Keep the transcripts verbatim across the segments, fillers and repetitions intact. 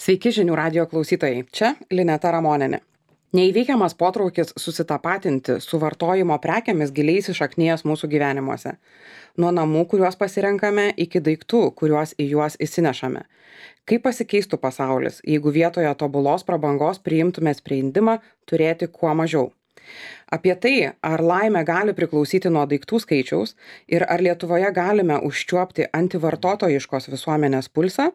Sveiki žinių radijo klausytojai, čia Lineta Ramonienė. Neįveikiamas potraukis susitapatinti su vartojimo prekiamis giliai įsišaknijęs mūsų gyvenimuose. Nuo namų, kuriuos pasirenkame, iki daiktų, kuriuos į juos įsinešame. Kaip pasikeistų pasaulis, jeigu vietoje tobulos prabangos priimtume sprendimą turėti kuo mažiau? Apie tai, ar laimė gali priklausyti nuo daiktų skaičiaus ir ar Lietuvoje galime užčiuopti antivartotojiškos visuomenės pulsą,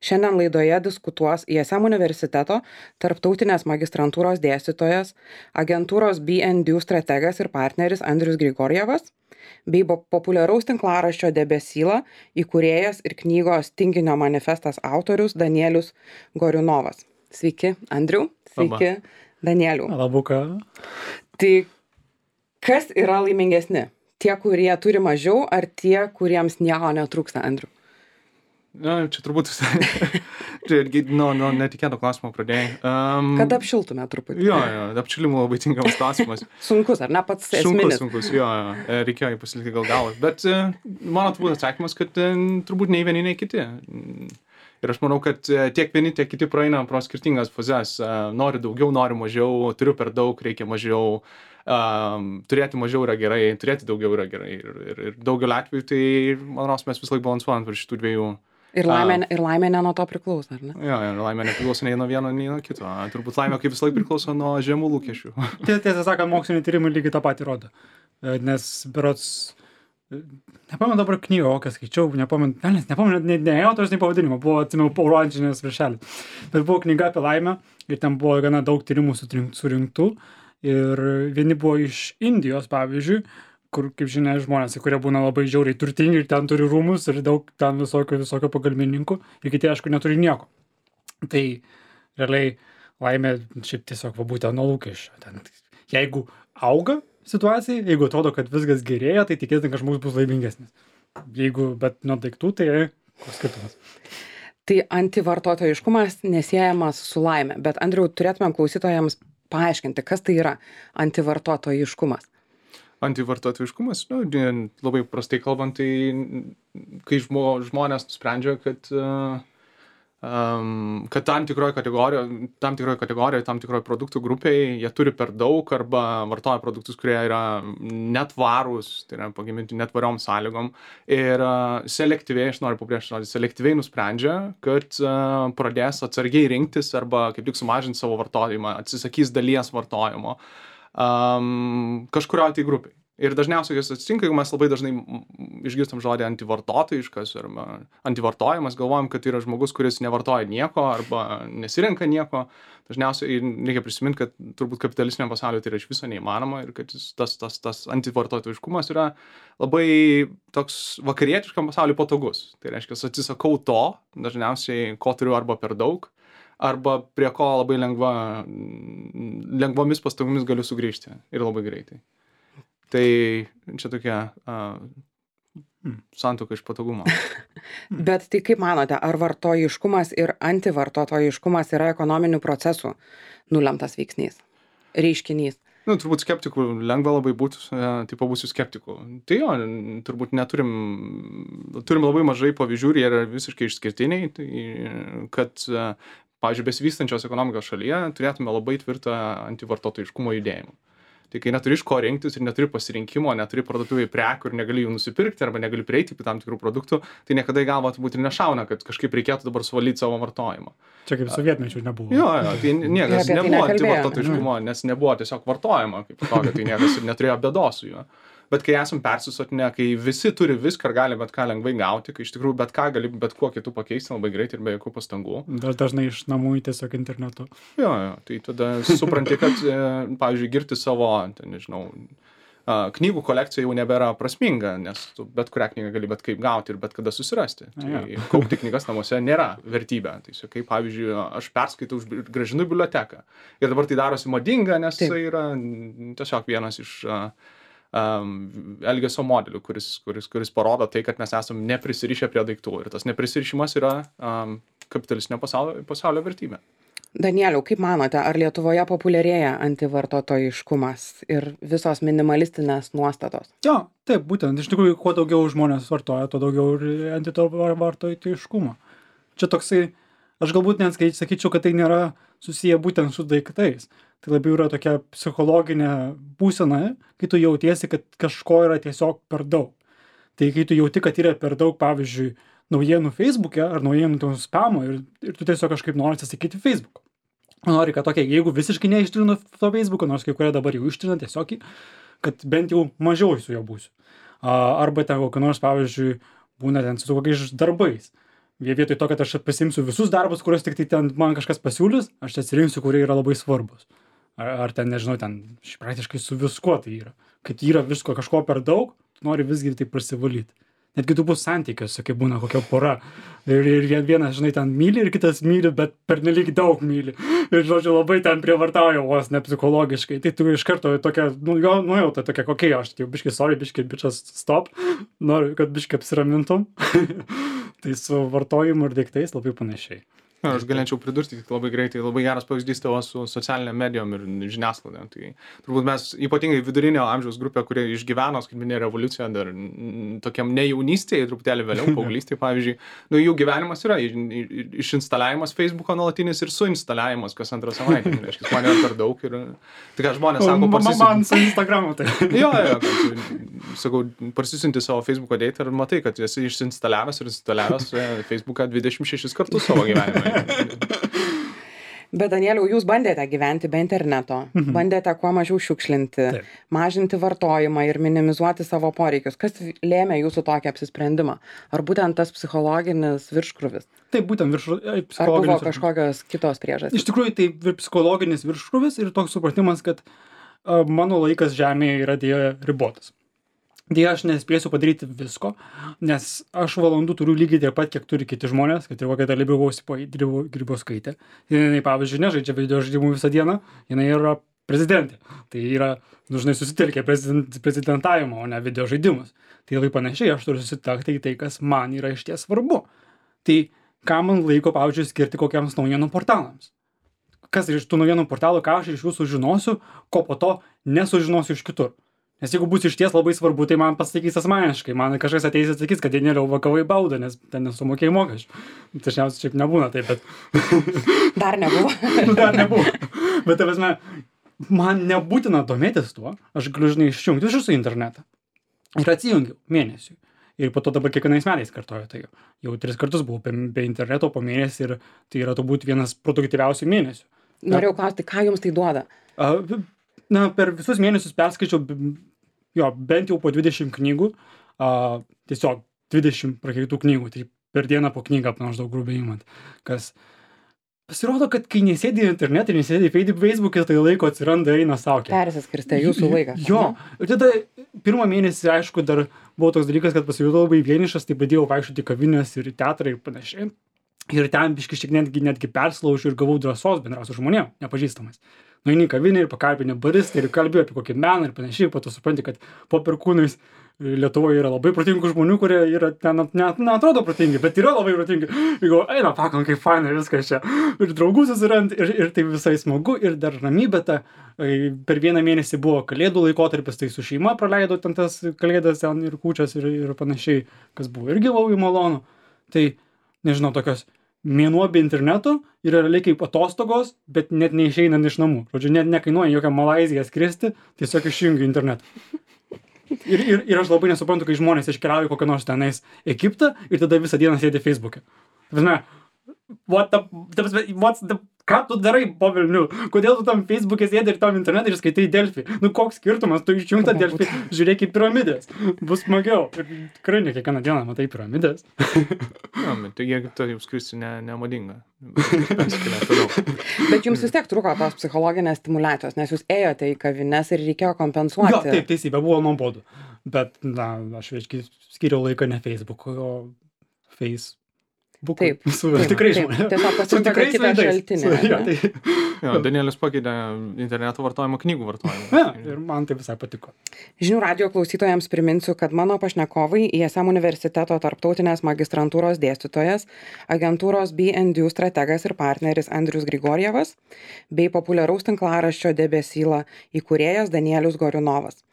šiandien laidoje diskutuos I S M universiteto tarptautinės magistrantūros dėstytojas, agentūros B and D strategas ir partneris Andrius Grigorjevas, bei populiaraus tinklaraščio Debesyla įkūrėjas ir knygos Tinginio manifestas autorius Danielius Goriunovas. Sveiki, Andriau. Sveiki, Labą. Danielių. Labuka. Tai kas yra laimingesni? Tie, kurie turi mažiau, ar tie, kuriems nieko netrūksta, Andriu? Na, čia turbūt čia irgi nuo nu, netikėto klausimo pradėjai. Um, Kad apšiltume truputį. Jo, jo, apšilimų labai tinkamas klausimas. Sunkus, ar ne pats esminis? Sunkus, sunkus, jo, jo, reikėjo jį pasilikti gal galą. Bet mano turbūt atsakymas, kad turbūt nei vieni, nei kiti. Ir aš manau, kad tiek vieni, tiek kiti praeina pro skirtingas fazes. Nori daugiau, nori mažiau, turiu per daug, reikia mažiau. Um, turėti mažiau yra gerai, turėti daugiau yra gerai. Ir, ir, ir daugelį atvejų, tai, manau, mes vis laik balansuojam per šitų dviejų. Ir laimė, um, ir laimė ne nuo to priklauso, ar ne? Jo, ir laimė nepriklauso nei nuo vieno, nei nuo kito. Turbūt laimė kaip vis laik priklauso nuo žemų lūkesčių. Tiesą sakant, moksliniai tyrimai lygiai tą patį rodo. Nes berods, nepamenu dabar knygą, kokią skaičiau, nepamenu, ne, nepamenu, ne, ne autorius, nei pavadinimo, buvo, atsimenu, oranžinės viršelis. Bet buvo knyga apie laimę ir ten buvo gana daug tyrimų surinktų. Ir vieni buvo iš Indijos, pavyzdžiui, kur, kaip žinia, žmonės, kurie būna labai žiauriai turtingi ir ten turi rūmus ir daug ten visokio, visokio pagalbininkų, ir kiti, aišku, neturi nieko. Tai realiai laimė šiaip tiesiog va būtent nuo lūkesčio. Ten, jeigu auga situacija, jeigu atrodo, kad viskas gerėja, tai tikėtina, kad žmogus bus laimingesnis. Jeigu, bet nuo daiktų, tai koks skirtumas. Tai antivartotojiškumas nesiejamas su laimė, bet Andriau, turėtumėm klausytojams paaiškinti, kas tai yra antivartotojiškumas. Antivartotojiškumas, nu, labai prastai kalbant, tai kai žmo, žmonės nusprendžia, kad, um, kad tam tikroje kategorijoje, tam tikroje kategorijoje, tam tikroje produktų grupėje jie turi per daug arba vartoja produktus, kurie yra netvarūs, tai yra pagaminti netvariom sąlygom ir uh, selektyviai, aš noriu pabrėžti žodį, selektyviai nusprendžia, kad uh, pradės atsargiai rinktis arba kaip tik sumažinti savo vartojimą, atsisakys dalies vartojimo. Um, kažkurioje tai grupiai. Ir dažniausiai kas atsitinka, jeigu mes labai dažnai išgirstam žodį antivartotojiškas arba antivartojimas, galvojam, kad tai yra žmogus, kuris nevartoja nieko arba nesirenka nieko. Dažniausiai reikia prisiminti, kad turbūt kapitalistiniam pasauliu tai yra iš viso neįmanoma ir kad tas, tas, tas antivartotojiškumas yra labai toks vakarietiškam pasauliu patogus. Tai reiškia, atsisakau to, dažniausiai ko turiu arba per daug, arba prie ko labai lengva, lengvomis pastangomis galiu sugrįžti ir labai greitai. Tai čia tokia uh, santuoka iš patogumo. Bet tai kaip manote, ar vartojiškumas ir antivartotojiškumas yra ekonominių procesų nulemtas veiksnys, reiškinys? Nu, turbūt skeptikų lengva labai būtų, tai pabūsiu skeptikų. Tai jo, turbūt neturim, turim labai mažai pavyzdžių ir jie yra visiškai išskirtiniai, tai kad, pavyzdžiui, besivystančios ekonomikos šalyje turėtume labai tvirtą antivartotojiškumo judėjimą. Tai kai neturi iš ko rinktis ir neturi pasirinkimo, neturi parduotuvėje prekių ir negali jų nusipirkti arba negali prieiti prie tam tikrų produktų, tai niekada į galvą turbūt ir nešauna, kad kažkaip reikėtų dabar suvalyti savo vartojimą. Čia kaip sovietmečių nebuvo. Jo, jo, tai niekas tai nebuvo antivartotojiškumo, nes nebuvo tiesiog vartojama kaip tokio, tai niekas ir neturėjo bėdos su juo. Bet kai esam persisotinę, kai visi turi viską ir gali bet ką lengvai gauti, kai iš tikrųjų bet ką gali bet kuo kitų pakeisti labai greitai ir be jokių pastangų. Dar dažnai iš namų į tiesiog internetu. Jo, jo, tai tada supranti, kad, pavyzdžiui, girti savo, tai nežinau, knygų kolekcija jau nebėra prasminga, nes tu bet kurią knygą gali bet kaip gauti ir bet kada susirasti. Tai kaupti knygas namuose nėra vertybė. Tai kaip, pavyzdžiui, aš perskaitau, grąžinu į biblioteką. Ir dabar tai darosi madinga, nes tai yra tiesiog vienas iš um, elgesio modelių, kuris, kuris, kuris parodo tai, kad mes esam neprisirišę prie daiktų. Ir tas neprisirišimas yra um, kapitalistinio pasaulio, pasaulio vertybė. Danieliau, kaip manote, ar Lietuvoje populiarėja antivartotojiškumas ir visos minimalistinės nuostatos? Jo, taip, būtent. Iš tikrųjų, kuo daugiau žmonės vartoja, tuo daugiau ir antivartotojiškumo. Čia toksai aš galbūt net skai- sakyčiau, kad tai nėra susiję būtent su daiktais. Tai labiau yra tokia psichologinė būsena, kai tu jautiesi, kad kažko yra tiesiog per daug. Tai kai tu jauti, kad yra per daug, pavyzdžiui, naujienų Facebook'e ar naujienų to spamo ir, ir tu tiesiog kažkaip nori atsisakyti Facebook'o. Nori, kad tokia, jeigu visiškai neištrinu to Facebook'o, nors kai kurie dabar jau ištrina tiesiog, kad bent jau mažiau su juo būsiu. A, arba ten kokio nors, pavyzdžiui, būna ten su kokiais darbais. Vie vietoj to, kad aš pasimsiu visus darbus, kuriuos tik tai ten man kažkas pasiūlys, aš atsirinksiu, kurie yra labai svarbus. Ar, ar ten, nežinau, ten praktiškai su viskuo tai yra. Kad yra visko kažko per daug, tu nori visgi tai prasivalyti. Netgi tu bus santykiuose, kai būna kokia pora. Ir, ir vienas, žinai, ten myli ir kitas myli, bet pernelyg daug myli. Ir, žodžiu, labai ten prievartauja vos ne psichologiškai. Tai tu iš karto tokia, nu, jo, nuojauta tokia, kokia aš, tai jau biškai, sorry, biškai, bičas, stop. Noriu, kad biškai apsiramintum. Tai su vartojimu ir daiktais labai panašiai. Na, aš galėčiau pridurti tik labai greitai, labai geras pavyzdys tavo su socialinėm medijom ir žiniasklaida. Tai turbūt mes ypatingai vidurinio amžiaus grupė, kurie išgyveno skaitmeninę revoliuciją dar mm, tokiam ne jaunystėje, truputėlį vėliau, paauglystėje, pavyzdžiui, nu, jų gyvenimas yra išinstaliavimas Facebook'o nuolatinis ir suinstaliavimas kas antrą savaitę. Tai reiškia, man yra per daug ir tai ką žmonės sako, parsisinti. Man su Instagramu tai. Jo, jo, kad, sakau, parsisinti savo Facebook'o date ir matai, kad esi išinstaliavęs ir instaliavęs Facebook'ą dvidešimt šešis kartus savo gyvenime. Bet Danieliau, jūs bandėte gyventi be interneto, mhm. bandėte kuo mažiau šiukšlinti, Taip. mažinti vartojimą ir minimizuoti savo poreikius. Kas lėmė jūsų tokį apsisprendimą? Ar būtent tas psichologinis virškrūvis? Taip, būtent virškrūvis. Ar buvo kažkokios kitos priežastys? Iš tikrųjų, tai psichologinis virškrūvis ir toks supratimas, kad uh, mano laikas žemėje yra dėja ribotas. Dėja, aš nespėsiu padaryti visko, nes aš valandų turiu lygiai tiek pat, kiek turi kiti žmonės, kad ir kokia dalia Grybauskaitė. Jinai, pavyzdžiui, nežaidžia video žaidimų visą dieną, jinai yra prezidentė. Tai yra, dažnai susitelkia prezident, prezidentavimo, o ne video žaidimus. Tai labai panašiai, aš turiu susitelkti į tai, kas man yra išties svarbu. Tai ką man laiko, pavyzdžiui, skirti kokiams naujienų portalams? Kas iš tų naujienų portalų, ką aš iš jų sužinosiu, ko po to nesužinosiu iš kitur. Nes jeigu bus išties labai svarbu, tai man pasakys asmeniškai. Man kažkas ateis ir sakys, kad Danieliau vakavai baudą, nes ten nesumokėjai mokesčių. Dažniausiai šiaip nebūna taip, bet... Dar nebuvo. Dar nebuvo. Bet, tavasme, man nebūtina domėtis tuo. Aš galiu, žinai, išjungti iš jūsų internetą. Ir atsijungiau mėnesiui. Ir po to dabar kiekvienais metais kartoju tai. Jau tris kartus buvau be, be interneto po mėnesį ir tai yra turbūt vienas produktyviausių mėnesių. Norėjau klausti, ką jums tai duoda? A, na, per visus mėnesius perskaičiau jo, bent jau po dvidešimt knygų, a, tiesiog dvidešimt prakeitų knygų, tai per dieną po knygą maždaug grubiai imant. Kas pasirodo, kad kai nesėdi internete ir nesėdi Facebook'e, tai laiko atsiranda, eina saukė. Persiskirstė jūsų laiką. Jo, ir tada pirmą mėnesį, aišku, dar buvo toks dalykas, kad pasijutau labai vienišas, tai pradėjau vaikščioti kavinės ir teatrą ir panašiai. Ir ten biškai šiek netgi, netgi perslaužiu ir gavau drąsos bendrauti su žmonėm, nepažįstamais. Nueini į kavinę ir pakalbini baristą ir kalbėjau apie kokį meną ir panašiai, po to supranti, kad po perkūnais Lietuvoje yra labai protingų žmonių, kurie yra ten net neatrodo protingi, bet yra labai protingi. Ir galvoju, eina, pakom, kaip fainai viskas čia. Ir draugų susirand, ir, ir tai visai smagu, ir dar ramybė ta. Per vieną mėnesį buvo kalėdų laikotarpis, tai su šeima praleidau ten tas kalėdas ten ir kūčias ir, ir panašiai, kas buvo irgi labai malonu. Tai, nežinau, tokios mėnuo be interneto yra realiai kaip atostogos, bet net neišeinant iš namų. Žodžiu, net nekainuoja jokią Malaiziją skristi, tiesiog išjungiu internetą. Ir, ir, ir aš labai nesuprantu, kai žmonės iškeliauja kokią nors tenais Egiptą ir tada visą dieną sėdi Facebook'e. Prasme, what the, what's the, ką tu darai po velnių? Kodėl tu tam Facebook'e sėdi ir tam internetą ir skaitai Delfį? Nu, koks skirtumas, tu išjungta Delfį, žiūrėk į piramidės. Bus smagiau. Ir tikrai ne kiekvieną dieną matai piramidės. Na, bet tai jeigu tai jau skristi ne, nemadinga. Bet jums vis tiek truko tos psichologinės stimulacijos, nes jūs ėjote į kavines ir reikėjo kompensuoti. Jo, taip, teisybė, buvo nuobodu. Bet, na, aš veiškai skiriau laiką ne Facebook'u, o Face. Buku. Taip, su taip, tikrai taip. žmonės. Tiesiog pasirinko kitą šaltinį. Jo, tai... jo, Danielis pakeitė interneto vartojimą knygų vartojimą. Ja, ir man tai visai patiko. Žinių radijo klausytojams priminsiu, kad mano pašnekovai I S M universiteto tarptautinės magistrantūros dėstytojas, agentūros B and U strategas ir partneris Andrius Grigorjevas, bei populiaraus tinklaraščio Debesyla įkūrėjas Danielius Goriunovas.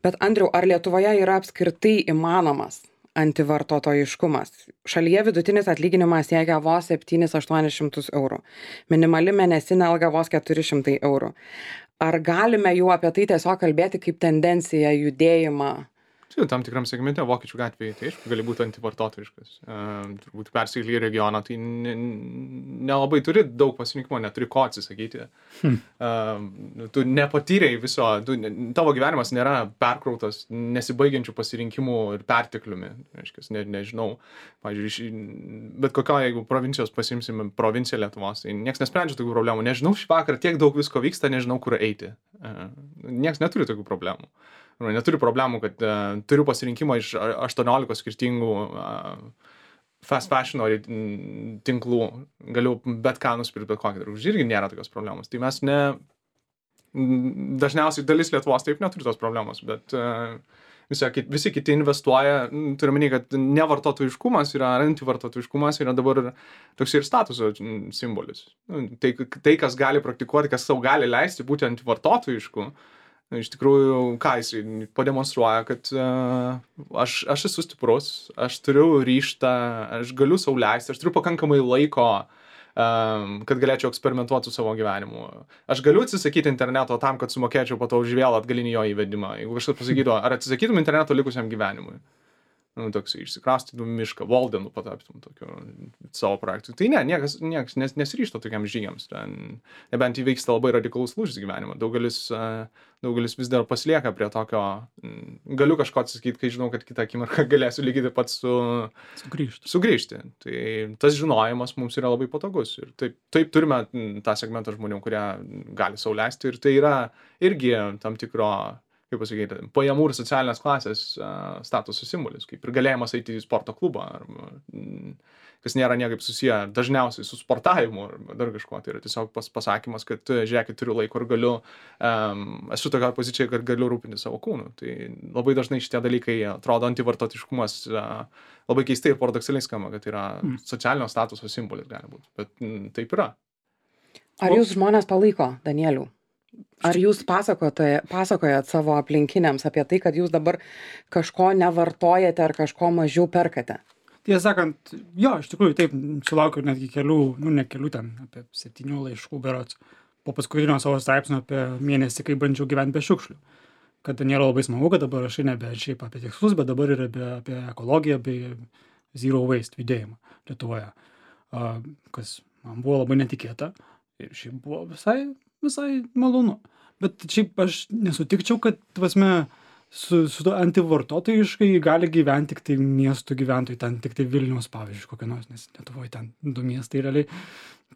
Bet Andriau, ar Lietuvoje yra apskritai įmanomas antivartotojiškumas. Šalyje vidutinis atlyginimas siekia vos septynis aštuonis šimtus eurų. Minimali mėnesinė alga vos keturi šimtai eurų. Ar galime jau apie tai tiesiog kalbėti kaip tendenciją, judėjimą? Tai tam tikram segmente Vokiečių gatvėje, tai aišku, gali būti antivartotojiškas. Uh, turbūt persikėlė į regioną, tai ne, nelabai turi daug pasirinkimo, neturi ko atsisakyti. Hmm. Uh, tu nepatyrei viso, tu, tavo gyvenimas nėra perkrautas nesibaigiančių pasirinkimų ir pertekliumi. Aiškiai, ne, nežinau, pavyzdžiui, bet kokio, jeigu provincijos pasimsime provinciją Lietuvos, tai niekas nesprendžia tokių problemų. Nežinau, šį vakarą tiek daug visko vyksta, nežinau, kur eiti. Uh, niekas neturi tokių problemų. Neturiu problemų, kad uh, turiu pasirinkimą iš aštuoniolikos skirtingų uh, fast fashion tinklų, galiu bet ką nusipirkti, bet kokį drabužį, irgi nėra tokios problemos. Tai mes ne, dažniausiai dalis Lietuvos taip neturi tos problemos, bet uh, visi, visi kiti investuoja, turiu menį, kad nevartotojiškumas yra, antivartotojiškumas yra dabar toks ir statuso simbolis. Tai, tai kas gali praktikuoti, kas sau gali leisti būti antivartotojišku, iš tikrųjų, ką jis pademonstruoja, kad uh, aš, aš esu stiprus, aš turiu ryžtą, aš galiu sau leisti, aš turiu pakankamai laiko, um, kad galėčiau eksperimentuoti su savo gyvenimu. Aš galiu atsisakyti interneto tam, kad sumokėčiau po to už vėl atgalinį jo įvedimą. Jeigu kažkas pasakytų, ar atsisakytum interneto likusiam gyvenimui? Nu, toks išsikraustytum mišką, Waldenų pataptum tokiu savo projektu. Tai ne, niekas, niekas nes, nesiryžta tokiam žygiams. Ten, nebent įvyksta labai radikalus lūžis gyvenimą. Daugelis, uh, daugelis vis dar pasilieka prie tokio, mm, galiu kažko atsisakyti, kai žinau, kad kitą akimirką galėsiu lygiai taip pat su, sugrįžti. sugrįžti. Tai tas žinojimas mums yra labai patogus. Ir taip, taip turime tą segmentą žmonių, kurie gali sau leisti. Ir tai yra irgi tam tikro, kaip pasakyti, pajamų ir socialinės klasės uh, statuso simbolis, kaip ir galėjimas eiti į sporto klubą, arba, mm, kas nėra niekaip susiję dažniausiai su sportavimu ar dar kažkuo. Tai yra tiesiog pas, pasakymas, kad žiūrėkit, turiu laiko ir galiu, um, esu tokia pozicija, kad galiu rūpinti savo kūnu. Tai labai dažnai šitie dalykai atrodo antivartotiškumas uh, labai keistai ir paradoksaliai skamba, kad yra mm. socialinio statuso simbolis gali būti, bet mm, taip yra. Ar jūs žmonės palaiko, Danielių? Ar jūs pasakojate, pasakojat savo aplinkiniams apie tai, kad jūs dabar kažko nevartojate ar kažko mažiau perkate? Tiesą sakant, jo, iš tikrųjų taip, sulaukiu netgi kelių, nu ne kelių ten, apie septynių laiškų berods, po paskutinio savo straipsnio apie mėnesį, kai bandžiau gyventi be šiukšlių. Kad nėra labai smagu, kad dabar rašai nebe šiaip apie tikslus, bet dabar ir apie, apie ekologiją bei zero waste judėjimą Lietuvoje. Uh, kas man buvo labai netikėta ir šiaip buvo visai visai malonu. Bet šiaip aš nesutikčiau, kad, prasme, su, su to antivartotojiškai gali gyventi tik tai miestų gyventojai, ten tik tai Vilniaus, pavyzdžiui, kokia nors, nes Lietuvoje ten du miestai realiai.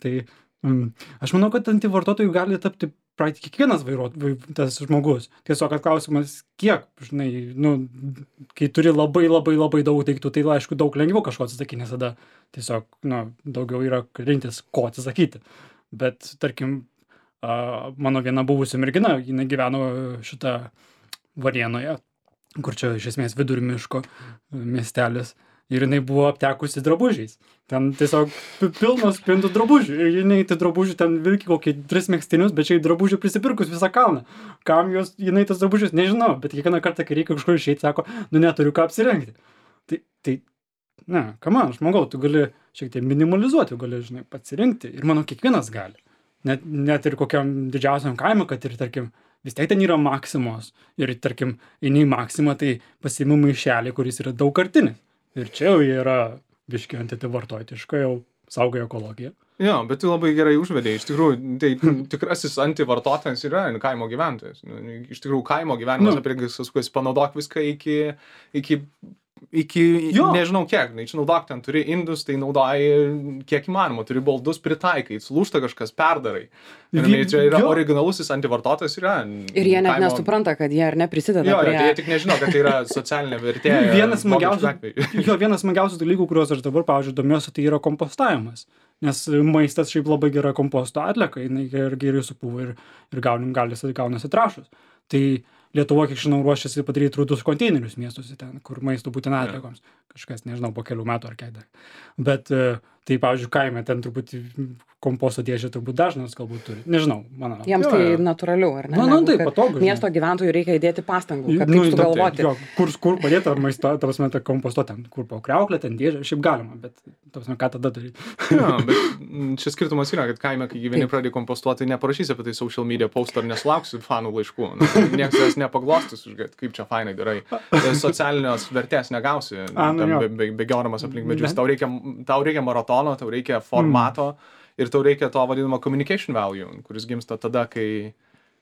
Tai mm, aš manau, kad antivartotojų gali tapti praktiškai kiekvienas vairuotojas, tas žmogus. Tiesiog klausimas, kiek, žinai, nu, kai turi labai labai labai daug daiktų, tai aišku daug lengviau kažko atsisakyti, nes tada tiesiog, nu, daugiau yra rinktis, ko atsisakyti. Bet, tarkim, Uh, mano viena buvusi mergina, jinai gyveno šitą Varėnoje, kur čia iš esmės vidur miško miestelis, ir jinai buvo aptekusi drabužiais. Ten tiesiog pilnos spintų drabužių, ir jinai tai drabužių ten vilki kokį tris megztinius, bet čia į drabužių prisipirkus visą kalną. Kam jos, jinai tas drabužius, nežinau, bet kiekvieną kartą, kai reikia kažkur išeiti, sako, nu neturiu ką apsirengti. Tai, tai ne, kam, žmogau, tu gali šiek tiek minimalizuoti, gali, žinai, pasirinkti, ir manau, kiekvienas gali. Net, net ir kokiam didžiausiam kaimui, kad ir, tarkim, vis tiek ten yra Maksimos. Ir, tarkim, eini į Maksimą, tai pasiimu maišelį, kuris yra daugkartinis. Ir čia jau yra biški antivartotojiška, jau saugoja ekologiją. Jo, bet tu labai gerai užvedei. Iš tikrųjų, tai tikrasis antivartotojas yra kaimo gyventojas. Iš tikrųjų, kaimo gyvenimas nu. Apie viskas, panaudok viską iki... iki iki, jo. Nežinau kiek, išnaudok ten, turi indus, tai naudoji kiek įmanoma, turi baldus pritaikai, sulūžta kažkas, perdarai. Ir Vi, čia yra jo. Originalusis antivartotojas yra. Ir jie net kaimo... nesupranta, kad jie ar neprisideda jo, prie... Jo, tai jie tik nežino, kad tai yra socialinė vertė. Vienas smagiausių, jo, vienas smagiausių dalykų, kuriuos aš dabar, pavyzdžiui, domiuosi, tai yra kompostavimas. Nes maistas šiaip labai gera komposto atlieka, jinai ir geriai supūva ir, ir gaunim, galis, gaunasi trąšos. Tai Lietuva, kiek žinau, ruošiasi padaryti rudus konteinerius miestuose ten, kur maisto būtina atliekoms. Kažkas, nežinau, po kelių metų ar kiek dar. Bet Tai, pavyzdžiui, kaime ten truputį komposto dėžę turbūt dažnas galbūt turi. Nežinau, mano. Jiems Jo, tai jo. natūraliau, ar ne? Na, na, Negu tai kad patogu, žinai. Miesto gyventojų reikia įdėti pastangų, kad Nu, taip ta- sugalvoti. Jo, kur, kur padėti ar maisto, ta prasme, tą komposto ten, kur po kriauklę, ten dėžę, šiaip galima, bet, ta prasme, ką tada daryti? Jo, bet mm, čia skirtumas yra, kad kaime, kai gyveni Taip. pradėjai kompostuoti, tai neparašysi apie tai social media post ar nesulauksi fanų laiškų. Nu, niekas jas nepaglostis, kad kaip čia fainai darai. Socialinės vertės negausi, A, nu ten jo. be- be- bėgiodamas aplink medžius. Ne. Tau reikia, tau reikia maratono, tau reikia formato ir tau reikia to vadinamo communication value, kuris gimsta tada, kai,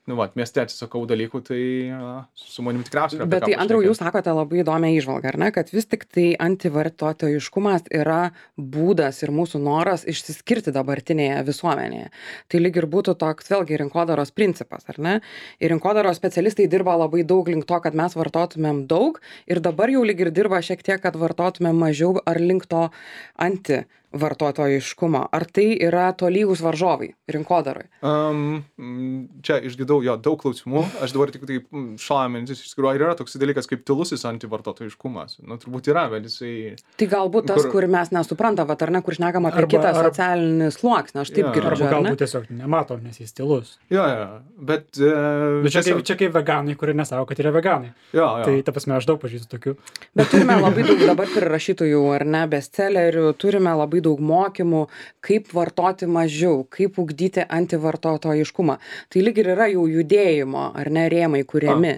nu, va, mieste atsisakau dalykų, tai a, su manim tikriausiai yra apie Bet ką tai, Andriau, pašnekėt. jūs sakote labai įdomią įžvalgą, ar ne, kad vis tik tai antivartotojiškumas yra būdas ir mūsų noras išsiskirti dabartinėje visuomenėje. Tai lyg ir būtų toks vėlgi rinkodaros principas, ar ne? Ir rinkodaros specialistai dirba labai daug link to, kad mes vartotumėm daug ir dabar jau lyg ir dirba šiek tiek, kad vartotumėm mažiau ar link to anti vartotojiškumo. Ar tai yra tolygus varžovai rinkodaroj? Um, mm, čia išgirdau jo daug klausimų, aš dabar tik taip mm, šalą mintis išskiriu, ar yra toks dalykas kaip tylusis antivartotojiškumas. Nu, turbūt yra, bet jisai... Tai galbūt tas, Kur- kur mes nesuprantam, vat, ar ne, kur šnekam apie Arba- kitą arba- socialinį sluoksnį, aš taip Jo, girdžiu, Arba ar ne? galbūt tiesiog nemato, nes jis tylus. Jo, jo, bet... Uh, Bet čia kaip, čia kaip veganai, kurie nesako, kad yra veganai. Jo, jo. Tai, ta prasme, aš daug pažįstu tokių. Bet turime labai daug dabar prirašytojų, ar ne, bestsellerių, turime labai daug mokymų, kaip vartoti mažiau, kaip ugdyti antivartotojiškumą. Tai lyg ir yra jau judėjimo, ar ne, rėmai kuriami.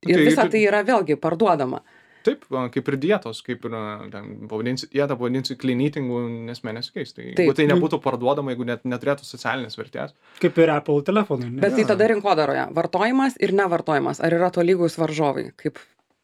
Tai Ir visa ir- tai yra vėlgi parduodama. Taip, a, kaip ir dietos, kaip ir, a, ten, pavadinsi, dietą pavadinsi clean eatingu, nesmė nesikeis. Tai, Taip. jeigu tai nebūtų parduodama, jeigu net neturėtų socialinės vertės. Kaip ir Apple telefonai. ne? Bet tai tada rinkodaroje vartojimas ir nevartojimas, ar yra tolygus varžovai, kaip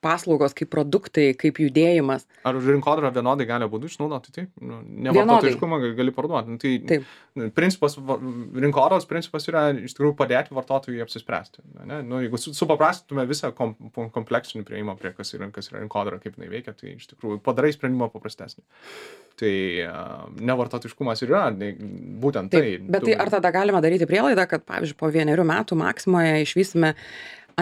paslaugos, kaip produktai, kaip judėjimas. Ar rinkodara vienodai gali būdų išnaudoti? Taip, nu, Vienodai. nevartotojiškumą gali- gali parduoti. Nu, tai Taip. principas, va- rinkodaros principas yra iš tikrųjų padėti vartotojui apsispręsti. Ne? Nu, jeigu su- supaprastintume visą kom, kompleksinį prieimą prie kas yra, kas yra rinkodara, kaip jinai veikia, tai iš tikrųjų padarai sprendimą paprastesnį. Tai uh, nevartotojiškumas ir yra ne, būtent tai. Taip, bet tai ar tada galima daryti prielaidą, kad, pavyzdžiui, po vienerių metų Maksimoje išvysime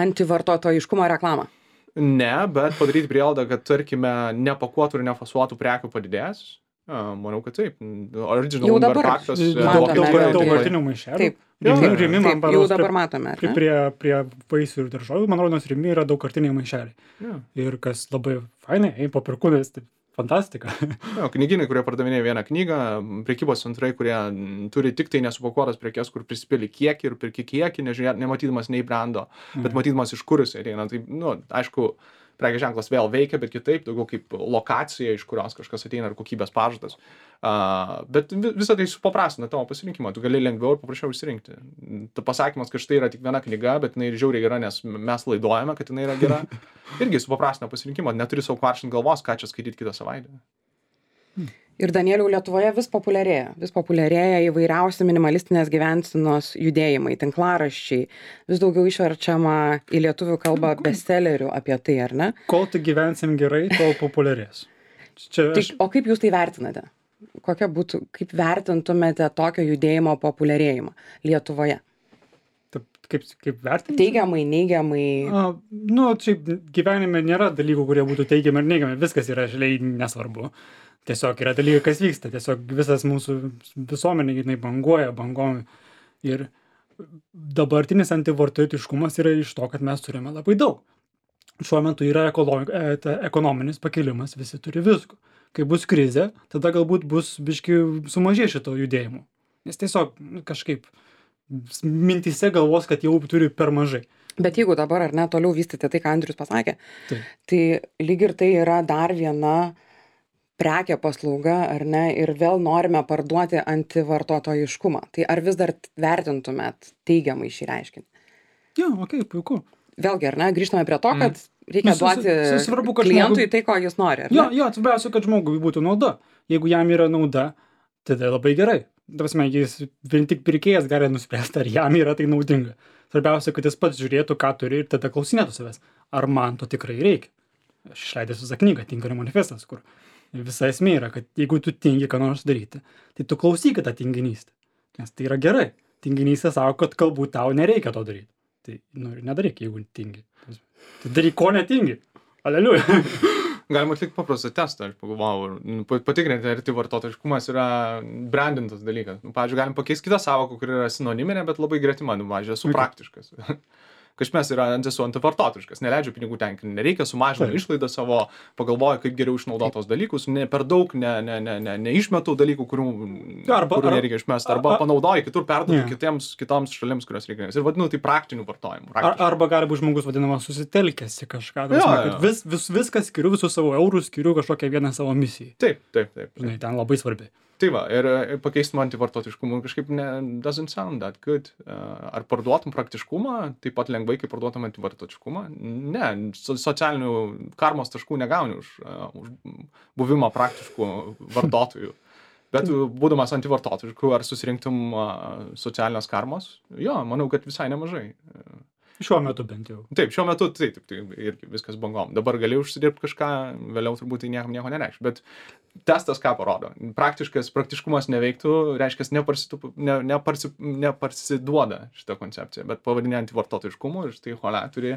antivartotojiškumo reklamą? Ne, bet padaryti prielaidą, kad, tarkime, nepakuotų ir nefasuotų prekių padidės. A, manau, kad taip. Original Jau dabar Umber Paktas, e, matome, Daug, daug, jo, daug tai- vartinių maišelių. Taip. Jo, Rimi, jo. rimi man Taip, jau parodos dabar prie, matome, ar prie, ne? prie, prie vaisių ir daržovių, man rodos, rimi yra daug kartiniai maišeliai. Jo. Ir kas labai fainai, ei, po perkūnės, tai fantastika. Jo, knygynai, kurie pardavinėja vieną knygą, prekybos centrai, kurie mm, turi tik tai nesupakuotas prekes, kur prisipili kiekį ir pirki kiekį, nežiūrėt, nematydamas nei brando, bet matydamas iš kur jis ateina. Tai, nu, aišku, prekės ženklas vėl veikia, bet kitaip, daugiau kaip lokacija, iš kurios kažkas ateina, ar kokybės pažadas. Uh, bet vi- visą tai supaprastina tavo pasirinkimą, tu gali lengviau ir paprasčiau išsirinkti. Ta pasakymas, kad štai yra tik viena knyga, bet jinai ir žiauriai gera, nes mes laidojame, kad jinai yra gera, irgi supaprastina pasirinkimą, neturi savo kvaršint galvos, ką čia skaityti kitą savaitę. Ir Danieliau, Lietuvoje vis populiarėja, vis populiarėja įvairiausi minimalistinės gyvensenos judėjimai, tinklaraščiai, vis daugiau išverčiama į lietuvių kalbą bestsellerių apie tai, ar ne? Kol tik gyvensim gerai, tol populiarės. Čia Tai, aš, o kaip jūs tai vertinate? Kokia būtų, kaip vertintumėte tokio judėjimo populiarėjimą Lietuvoje? taip, kaip, kaip vertinti? Teigiamai, neigiamai? A, nu, šiaip gyvenime nėra dalykų, kurie būtų teigiami ar neigiami, viskas yra žaliai nesvarbu. Tiesiog yra dalykai, kas vyksta, tiesiog visas mūsų visuomenė, jinai banguoja, bangom. Ir dabartinis antivartotojiškumas yra iš to, kad mes turime labai daug. Šiuo metu yra ekolo- e, ta ekonominis pakilimas, visi turi visko. Kai bus krizė, tada galbūt bus biški sumažė šito judėjimo. Nes tiesiog nu, kažkaip mintise galvos, kad jau turi per mažai. Bet jeigu dabar ar ne toliau vystyti tai, ką Andrius pasakė, Taip. tai lyg ir tai yra dar viena prekė paslauga, ar ne, ir vėl norime parduoti antivartotojiškumą. Tai ar vis dar vertintumėt teigiamai šį reiškinį? Jo, okei, okay, puiku. Vėlgi, ar ne, grįžtame prie to, kad reikia Nu, su- su- duoti su- svarbu, kad klientui žmogui- tai, ko jis nori, ar Jo, ne? jo, svarbiausia, kad žmogui būtų nauda. Jeigu jam yra nauda, tada labai gerai. Prasme, jis vien tik pirkėjas gali nuspręsti, ar jam yra tai naudinga. Svarbiausia, kad jis pats žiūrėtų, ką turi ir tada klausinėtų savęs, ar man to tikrai reikia. Aš išleidęs visą knygą, Tinkario manifestas, kur visa esmė yra, kad jeigu tu tingi ką nors daryti, tai tu klausyk tą tinginystę. Nes tai yra gerai. Tinginystė sako, kad galbūt tau nereikia to daryti. Tai, nu, ir nedaryk, jeigu tingi. Tai daryk, ko netingi. Aleliuja. Galima atlikti paprastą testą, aš pagalvojau, nu, pa- patikrinti, ar tai vartotojiškumas yra brandintas dalykas. Nu, pavyzdžiui, galim pakeisti kitą sąvoką, kuri yra sinoniminė, bet labai gretima, nu, pavyzdžiui, esu Okay. praktiškas. Kažkas yra esu antivartotojiškas, neleidžiu pinigų tenkinti, nereikia sumažinti Taip. išlaidą savo, pagalvoju, kaip geriau išnaudotos dalykus, ne per daug, ne, ne, ne, ne, neišmetu dalykų, kurių, Arba- kurių ar- nereikia išmesti, arba a- panaudoju kitur, perduodu Jo. kitiems, kitoms šalims, kurios reikia. Ir vadinu tai praktiniu vartojimu. Ar, praktišku. arba gali būti žmogus vadinamas susitelkęs į kažką. Ta Jo, prasme, jo. kad vis, vis, viską skiriu, visus savo eurus skiriu kažkokią vieną savo misijai. Taip, taip, taip. taip. Žinai, ten labai svarbi. Tai va, ir e, pakeisti antivartotiškumą kažkaip ne, doesn't sound that good. Uh, ar parduotum praktiškumą, taip pat lengvai, kaip parduotum antivartotiškumą? Ne, so, socialinių karmos taškų negauni už, uh, už buvimą praktiškų vartotojų. Bet būdamas antivartotišku, ar susirinktum uh, socialinės karmos? Jo, manau, kad visai nemažai. Šiuo metu bent jau. Taip, šiuo metu tai taip, tai irgi viskas bangom. Dabar gali užsidirbti kažką, vėliau turbūt tai niekam nieko nereikš. Bet testas ką parodo? Praktiškas, praktiškumas neveiktų, reiškia, neparsitu, ne, neparsi, neparsiduoda šitą koncepciją, bet pavadinė antivartotojiškumu ir štai holia turi,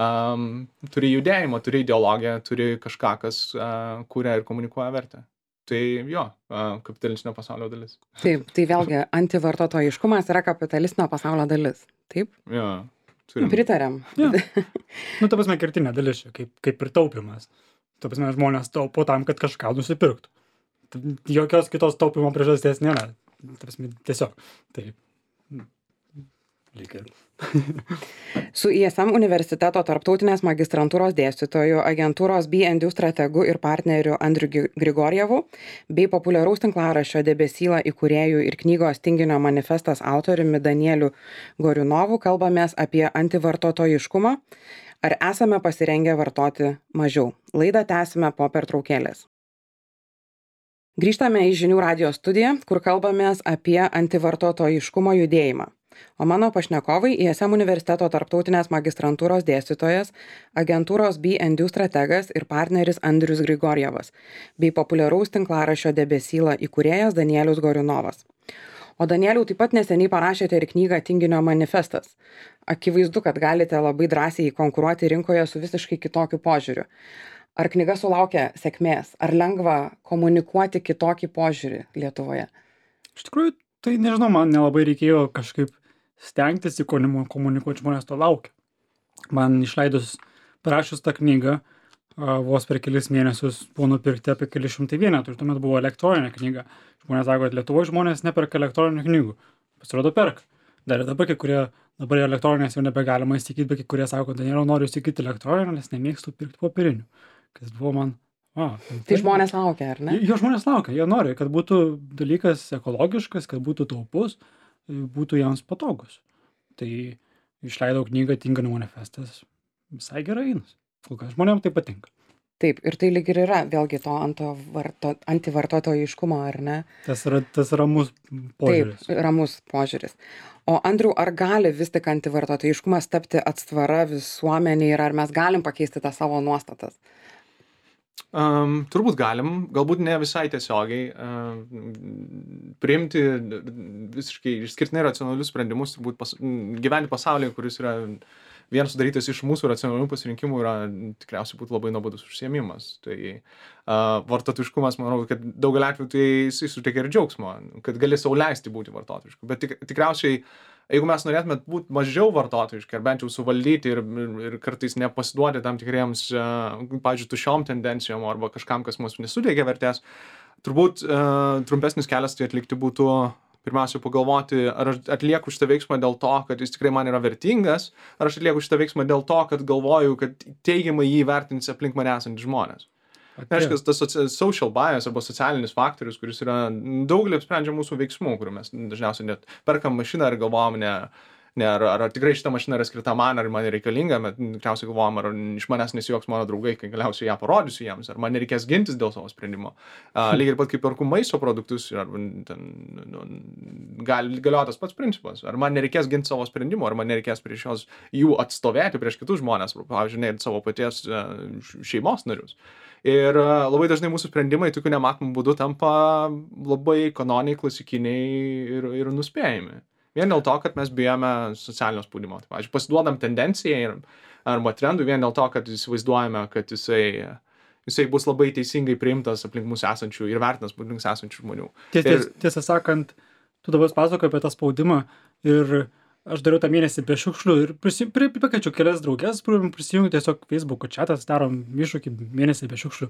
um, turi judėjimą, turi ideologiją, turi kažką, kas uh, kuria ir komunikuoja vertę. Tai jo, uh, kapitalistinio pasaulio dalis. Taip, tai vėlgi antivartotojiškumas yra kapitalistinio pasaulio dalis. Taip, Jo, turim. pritarėm. Ja. Nu, ta prasme, kertinė dalis čia, kaip, kaip ir taupimas. Ta prasme, žmonės taupo tam, kad kažką nusipirktų. Ta- Jokios kitos taupimo priežasties nėra. Ta prasme, tiesiog. Tai. Lyg ir. Su I S M universiteto tarptautinės magistrantūros dėstytoju, agentūros B and U strategu ir partneriu Andriu Gi- Grigorjevu bei populiaraus tinklaraščio Debesyla įkūrėjų ir knygos Tinginio manifestas autoriumi Danieliu Goriunovu kalbamės apie antivartotojiškumą. Ar esame pasirengę vartoti mažiau? Laidą tęsime po pertraukėlės. Grįžtame į Žinių radijo studiją, kur kalbamės apie antivartotojiškumo judėjimą. O mano pašnekovai I S M universiteto tarptautinės magistrantūros dėstytojas, agentūros B and U strategas ir partneris Andrius Grigorjevas, bei populiaraus tinklaraščio Debesyla įkūrėjas Danielius Goriunovas. O Danieliau, taip pat neseniai parašėte ir knygą Tinginio manifestas. Akivaizdu, kad galite labai drąsiai konkuruoti rinkoje su visiškai kitokiu požiūriu. Ar knyga sulaukia sėkmės? Ar lengva komunikuoti kitokį požiūrį Lietuvoje? Iš tikrųjų, tai nežinau, man nelabai reikėjo kažkaip stengtis į komu- komunikuoti, žmonės to laukia. Man išleidus, parašius tą knygą, a, vos per kelis mėnesius buvo nupirkti apie keli šimtai vienetų ir tuomet buvo elektroninė knyga. Žmonės sako, kad Lietuvoje žmonės neperka elektroninių knygų. Pasirodo, perka. Dar ir dabar kai kurie, dabar elektroninės jau nebegalima įsigyti, bet kai kurie sako, kad nėra noriu įsigyti elektroninę, nes nemėgstu pirkti popierinių. Kas buvo man, a, Tai žmonės laukia, ar ne? Jo žmonės laukia, jie nori, kad būtų dalykas ekologiškas, kad būtų taupus, būtų jiems patogus. Tai išleidau knygą Tinginio manifestas, visai gerai einas. Kol kas žmonėms tai patinka. Taip, ir tai lyg ir yra vėlgi to antivarto- antivartotojiškumo, ar ne? Tas yra, tas ramus požiūris. Taip, ramus požiūris. O Andriau, ar gali vis tik antivartotojiškumas tapti atstvara visuomeniai ir ar mes galim pakeisti tą savo nuostatas? Um, turbūt galim, galbūt ne visai tiesiogiai um, priimti visiškai išskirtinai racionalius sprendimus, turbūt pas, gyventi pasaulyje, kuris yra vienas sudarytas iš mūsų racionalių pasirinkimų, yra tikriausiai būtų labai nuobodus užsiėmimas. Tai uh, vartotojiškumas, manau, kad daugelį atveju tai jisai suteikia ir džiaugsmo, kad gali sau leisti būti vartotojišku. Bet tik, tikriausiai, jeigu mes norėtume būti mažiau vartotojiški, ar bent jau suvaldyti ir, ir, ir kartais nepasiduoti tam tikriems, uh, pavyzdžiui, tušiom tendencijom arba kažkam, kas mums nesuteikia vertės, turbūt uh, trumpesnis kelias tai atlikti būtų pirmiausia pagalvoti, ar aš atlieku šitą veiksmą dėl to, kad jis tikrai man yra vertingas, ar aš atlieku šitą veiksmą dėl to, kad galvoju, kad teigiamai jį vertins aplink mane esantys žmonės. Reiškia, tas soci- social bias arba socialinis faktorius, kuris yra daugelį apsprendžia mūsų veiksmų, kurių mes dažniausiai net perkam mašiną ir galvojam, ne, ne ar, ar, ar tikrai šita mašina yra skirta man, ar man reikalinga, bet tikriausiai galvojam, ar iš manęs nesijuoks mano draugai, kai galiausiai ją parodysiu jiems, ar man nereikės gintis dėl savo sprendimo. Uh, lygiai ir pat kaip perku maisto produktus, ar ten, nu, gali galioja tas pats principas, ar man nereikės ginti savo sprendimo, ar man nereikės prieš jos jų atstovėti prieš kitus žmonės, pavyzdžiui, net savo paties uh, šeimos narius. Ir uh, labai dažnai mūsų sprendimai tokiu nematomų būdų tampa labai kanoniai, klasikiniai ir, ir nuspėjami. Vien dėl to, kad mes bijome socialinio spaudimo. Tai, pavyzdžiui, pasiduodam tendencijai ir, arba trendui vien dėl to, kad įsivaizduojame, kad jisai jisai bus labai teisingai priimtas aplink mus esančių ir vertinas aplink mus esančių žmonių. Ties, ties, Ir- tiesą sakant, tu dabar pasakoji apie tą spaudimą ir aš dariau tą mėnesį be šiukšlių ir prisi, pri, pakeičiau kelias draugės, prisijungti tiesiog Facebook'o chatas, darom iššūkį mėnesį be šiukšlių.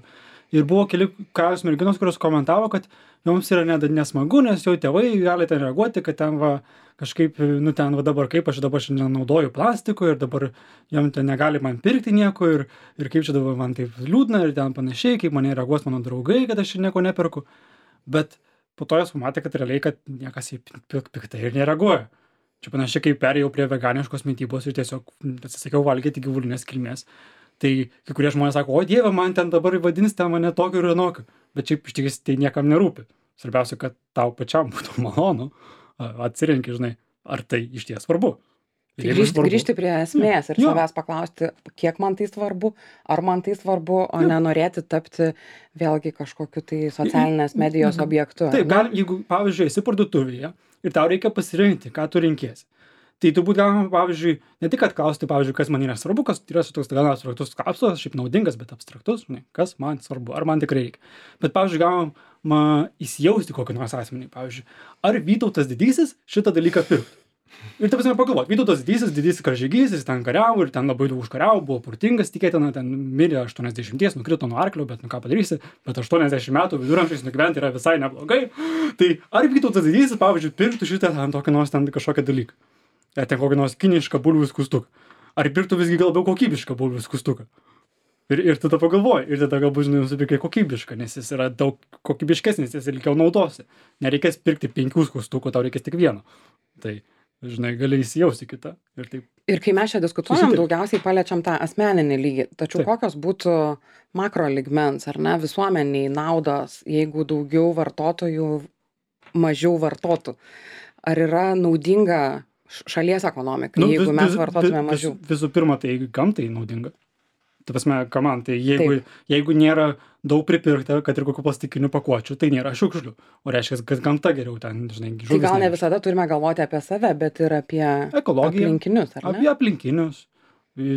Ir buvo keli kelios merginos, kurios komentavo, kad joms yra net nesmagu, nes jau tėvai gali ten reaguoti, kad ten va kažkaip, nu ten va dabar kaip aš dabar šiandien naudoju plastiko ir dabar jam ten negali man pirkti nieko ir, ir kaip čia dabar man taip liūdna ir ten panašiai, kaip mane reaguos mano draugai, kad aš čia nieko neperku. Bet po to jos pamatė, kad realiai, kad niekas į piktai ir nereaguoja. Čia panašiai, kaip perėjau prie veganiškos mitybos ir tiesiog atsisakiau valgyti gyvulinės kilmės. Tai kai kurie žmonės sako, o dieve, man ten dabar vadins ten mane tokiu ir anokiu. Bet šiaip iš tikrųjų tai niekam nerūpi. Svarbiausia, kad tau pačiam būtų malonu. Atsirenki, žinai, ar tai iš ties svarbu. Tai grįžti, grįžti prie esmės ir Jo. savęs paklausti, kiek man tai svarbu, ar man tai svarbu, o nenorėti tapti vėlgi kažkokiu tai socialinės medijos objektu. Taip, gal, jeigu, pavyzdžiui, esi parduotuvėje ir tau reikia pasirinkti, ką tu renkiesi. Tai turbūt galima, pavyzdžiui, ne tik atklausti, pavyzdžiui, kas man yra svarbu, kas yra toks gana abstraktus kapsulas, šiaip naudingas, bet abstraktus, žinai, kas man svarbu, ar man tikrai reikia. Bet, pavyzdžiui, galima įsijausti kokį nors asmenį, pavyzdžiui, ar Vytautas didysis šitą dalyką pirktų. Ir ta prasme pagalvoti, Vytautas didysis, didysis karžygys, jis ten kariavo ir ten labai daug užkariavo, buvo turtingas, tikėtina, ten mirė aštuoniasdešimties, nukrito nuo arklio, bet nu ką padarysi, bet aštuoniasdešimt metų viduramžiais nugyventi yra visai neblogai. Tai ar Vytautas didysis, pavyzdžiui, pirktų šitą ten tokį nors ten kažkokią dalyką? Ar ten kokį nors kinišką bulvių skustuką? Ar pirktų visgi gal labiau kokybišką bulvių skustuką? Ir, ir tada pagalvoji, ir tada galbūt, žinai, nusipirkai kokybišką, nes jis yra daug kokybiškesnis, jis ilgiau naudosi. Nereikės pirkti penkių skustukų, tau reikės tik vieno. Tai, žinai, gali įsijausti kitą. Ir taip. Ir kai mes čia diskutuojam, Susitarti. daugiausiai paliečiam tą asmeninį lygį. Tačiau Taip. kokios būtų makro lygmens, ar ne, visuomeniai naudos, jeigu daugiau vartotojų mažiau vartotų? Ar yra naudinga š- šalies ekonomikai, Nu, jeigu vis- mes vis- vartotume vis- mažiau? Visų pirma, tai gamtai naudinga. Ta prasme, ką man, tai jeigu, jeigu nėra daug pripirkta, kad ir kokių plastikinių pakuočių, tai nėra šiukšlių. O reiškia, kad gamta geriau ten, žinai, Tai žuvis gal ne nevirsta. visada turime galvoti apie save, bet ir apie Ekologiją. aplinkinius, ar ne? Apie aplinkinius.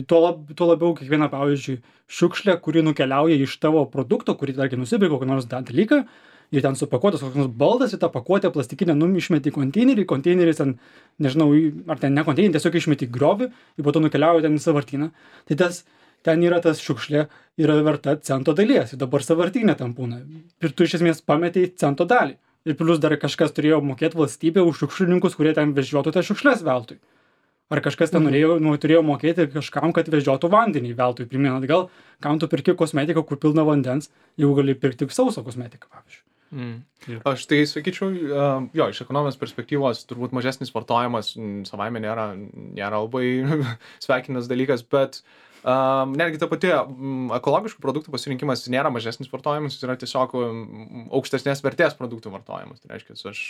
Tuo, lab, tuo labiau kiekviena, pavyzdžiui, šiukšlė, kuri nukeliauja iš tavo produkto, kurį, tarkim, nusipirkai kokį nors tą dalyką, ir ten supakuotas koks nors baldas, į tą pakuotę plastikinę num išmeti į konteinerį, konteineris ten, nežinau, į- ar ten ne konteinerį, tiesiog išmeti į griovį, ir po to nukeliauja ten į savartyną. Tai tas, ten yra tas šiukšlė, yra verta cento dalies, ir dabar savartynė tam būna. Ir tu iš esmės pametei cento dalį. Ir plus dar kažkas turėjo mokėti valstybę už šiukšlininkus, kurie ten vežiotų tas šiukšlės veltui. Ar kažkas ten norėjo, nu, turėjo mokėti kažkam, kad vežiotų vandenį veltui. Priminat, gal, kam tu pirki kosmetiką, kur pilna vandens, jeigu gali pirkti sausą kosmetiką, pavyzdžiui. Mm. Aš tai sakyčiau, uh, jo, iš ekonominės perspektyvos turbūt mažesnis vartojimas mm, savaime nėra, nėra labai sveikinas dalykas, bet um, netgi ta pati mm, ekologiškų produktų pasirinkimas nėra mažesnis vartojimas, jis yra tiesiog mm, aukštesnės vertės produktų vartojimas. Tai reiškia, aš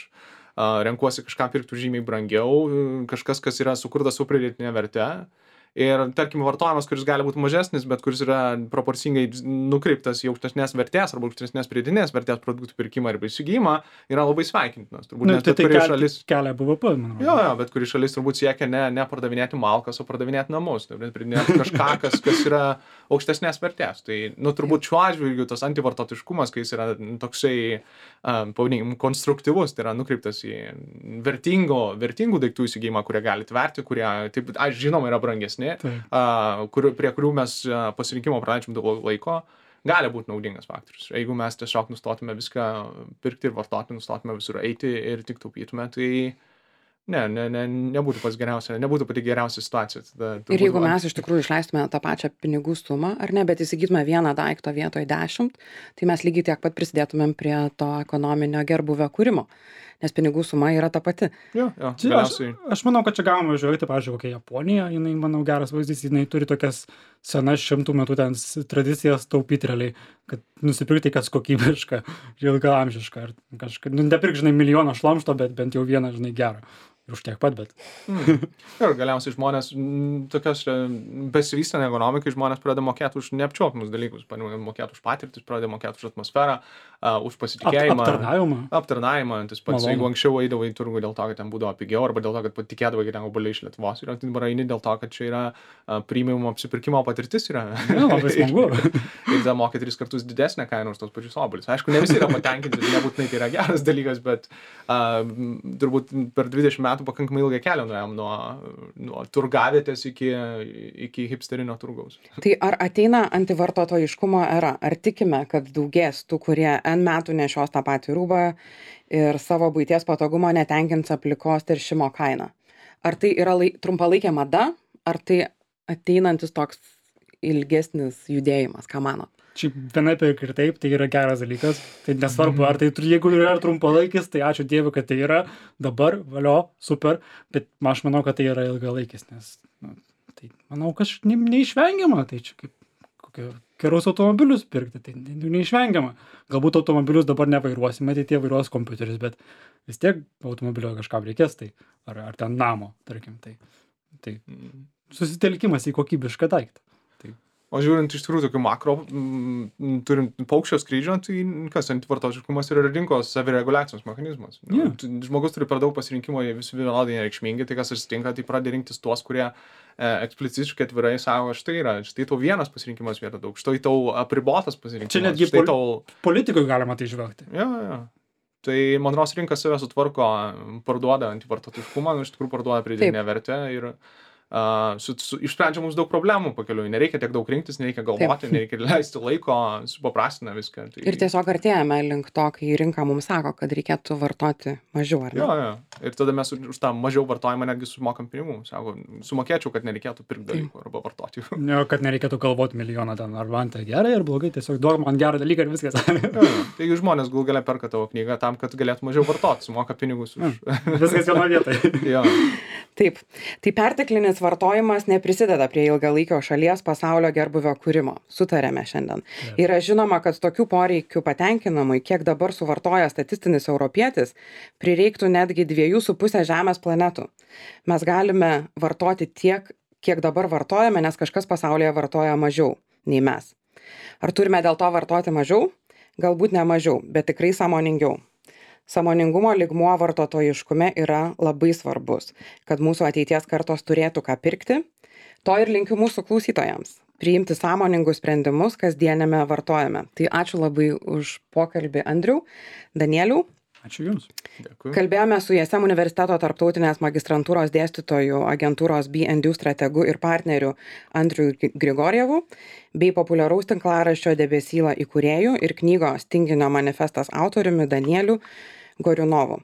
uh, renkuosi kažką pirkti žymiai brangiau, kažkas, kas yra sukurtas su pridėtinė verte. Ir tarkim vartojimas, kuris gali būti mažesnis, bet kuris yra proporcingai nukreiptas į aukštesnės vertės arba aukštesnės pridėtinės vertės produktų pirkimą arba įsigijimą, yra labai sveikintinas. Turbūt Nu, nes tai bet tai kuri kel, šalis... kelia B V P, manau. Jo, jo, bet kuri šalis turbūt siekia ne, ne pardavinėti malkas, o pardavinėti namus. Tai pridėti kažką, kas, kas yra aukštesnės vertės. Tai, nu, turbūt šiuo atžvilgiu tas antivartotiškumas, kai jis yra toksai, um, pavadinkim, konstruktyvus, tai yra nukreiptas į vertingo, vertingų daiktų įsigijimą, kurie gali tverti, kurie, taip, aš žinoma, yra brangesni, uh, kur, prie kurių mes uh, pasirinkimo praleidžiam daug laiko, gali būti naudingas faktorius. Jeigu mes tiesiog nustotume viską pirkti ir vartoti, nustotume visur eiti ir tik taupytume, tai ne, ne, ne, nebūtų pats geriausia, nebūtų pati geriausia situacija. Tada, Ir jeigu mes iš tikrųjų išleistume tą pačią pinigų sumą, ar ne, bet įsigytume vieną daiktą vietoj dešimt, tai mes lygiai tiek pat prisidėtumėm prie to ekonominio gerbuvio kūrimo, nes pinigų suma yra ta pati. Jo, jo, Čia, aš, galiausiai. aš manau, kad čia galima žiūrėti, pavyzdžiui, kokia Japonija, jinai, manau, geras vaizdys, jinai turi tokias senas šimtų metų ten s- tradicijas taupyti realiai, kad nusipirkti kas kokybiška ir ilgaamžiška. Ar kažką, nu, nepirk, žinai, milijoną šlamšto, bet bent jau vieną, žinai, gerą. ir už tiek pat, bet. Mm. Ir galiausiai žmonės, m, tokios e, besivystant ekonomikai, žmonės pradeda mokėti už neapčiuopiamus dalykus, pradeda mokėti už patirtis, pradeda mokėti už atmosferą, uh, už Ap, pasitikėjimą. aptarnavimą. Aptarnavimą, tas pats, Malonu. jeigu anksčiau eidavai į turgų dėl to, kad ten būdavo pigiau, arba dėl to, kad patikėdavai, kad ten obuoliai iš Lietuvos yra, tai dabar eini dėl to, kad čia yra uh, premium apsipirkimo patirtis yra. Ja, labai smagu. Ir tada mokė tris kartus didesnę kainą už tos pačius obuolius. Aišku, ne visi yra patenkinti, nebūtinai tai yra geras dalykas, bet uh, turbūt per dvidešimt metų pakankamai ilgą kelią nuėjom nuo, nuo turgavietės iki, iki hipsterinio turgaus. Tai ar ateina antivartotojiškumo era? Ar tikime, kad daugės tų, kurie N metų nešios tą patį rūbą ir savo buities patogumo netenkins aplikos teršimo kainą? Ar tai yra lai, trumpalaikė mada, ar tai ateinantis toks ilgesnis judėjimas, ką manot? Šiaip vienaip ir taip, tai yra geras dalykas. Tai nesvarbu, ar tai jeigu yra trumpalaikis, tai ačiū Dievui, kad tai yra dabar, valio, super, bet aš manau, kad tai yra ilgalaikis, nes nu, tai manau, kad ne, neišvengiama, tai čia kaip kokie gerus automobilius pirkti, tai ne, neišvengiama. Galbūt automobilius dabar nevairuosime, tai tie vairuos kompiuteris, bet vis tiek automobilio kažkam reikės, tai ar, ar ten namo, tarkim, tai, tai susitelkimas į kokybišką daiktą. O žiūrint iš tikrųjų tokių makro, m, turint paukščio skrydžio, tai kas antivartotojiškumas yra rinkos savireguliacijos mechanizmas. Nu, Yeah. t- žmogus turi per daug pasirinkimo, jie visi vienodai nereikšmingi, tai kas atsitinka, tai pradeda rinktis tuos, kurie e, eksplicitiškai atvirai sako, štai yra, štai tau vienas pasirinkimas vietoj daug, štai tau apribotas pasirinkimas. Čia netgi štai pol- tau... Politikui galima tai žvelgti. Jo, jo. Tai man rodos rinka save sutvarko, parduoda antivartotojiškumą, nu, iš tikrųjų parduoda pridėtinę vertę ir Uh, su, su, išsprendžia mums daug problemų pakeliui. Nereikia tiek daug rinktis, nereikia galvoti, Taip. nereikia leisti laiko, supaprastina viską. Tai... Ir tiesiog artėjame link to, kai rinka mums sako, kad reikėtų vartoti mažiau, ar ne? Jo, jo. Ir tada mes už už tą mažiau vartojimą netgi sumokam pinigų. Sako, sumokėčiau, kad nereikėtų pirkti dalykų arba vartoti jų. Ne, kad nereikėtų galvoti milijoną ten, ar man tai gerai, ar blogai, tiesiog duok man gerą dalyką ir viskas. Jo, jo. Taigi žmonės gal galia perka tavo knygą tam, kad galėtų mažiau vartoti, sumoka pinigus už... Viskas vieno vietoje. jo. Taip. Tai perteklinis vartojimas neprisideda prie ilgalaikio šalies pasaulio gerbuvio kūrimo. Sutarėme šiandien. Taip. Yra žinoma, kad tokių poreikių patenkinamui, kiek dabar suvartoja statistinis europietis, prireiktų netgi dviejų su pusė Žemės planetų. Mes galime vartoti tiek, kiek dabar vartojame, nes kažkas pasaulyje vartoja mažiau nei mes. Ar turime dėl to vartoti mažiau? Galbūt ne mažiau, bet tikrai sąmoningiau. Sąmoningumo lygmuo vartotojiškume yra labai svarbus, kad mūsų ateities kartos turėtų ką pirkti. To ir linkiu mūsų klausytojams. Priimti sąmoningus sprendimus kasdienėme vartojame. Tai ačiū labai už pokalbį, Andriau. Danieliau. Ačiū Jums. Dėkui. Kalbėjome su I S M universiteto tarptautinės magistrantūros dėstytojų, agentūros B and U strategu ir partneriu Andriu Grigorjevu, bei populiaraus tinklaraščio Debesyla įkūrėju ir knygos Tinginio manifestas autoriumi Danieliu Goriunovu.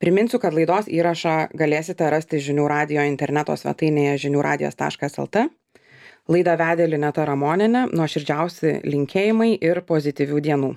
Priminsiu, kad laidos įrašą galėsite rasti žinių radijo interneto svetainėje žinių radijas taškas el t. Laidą vedė Lineta Ramonienė, nuoširdžiausi linkėjimai ir pozityvių dienų.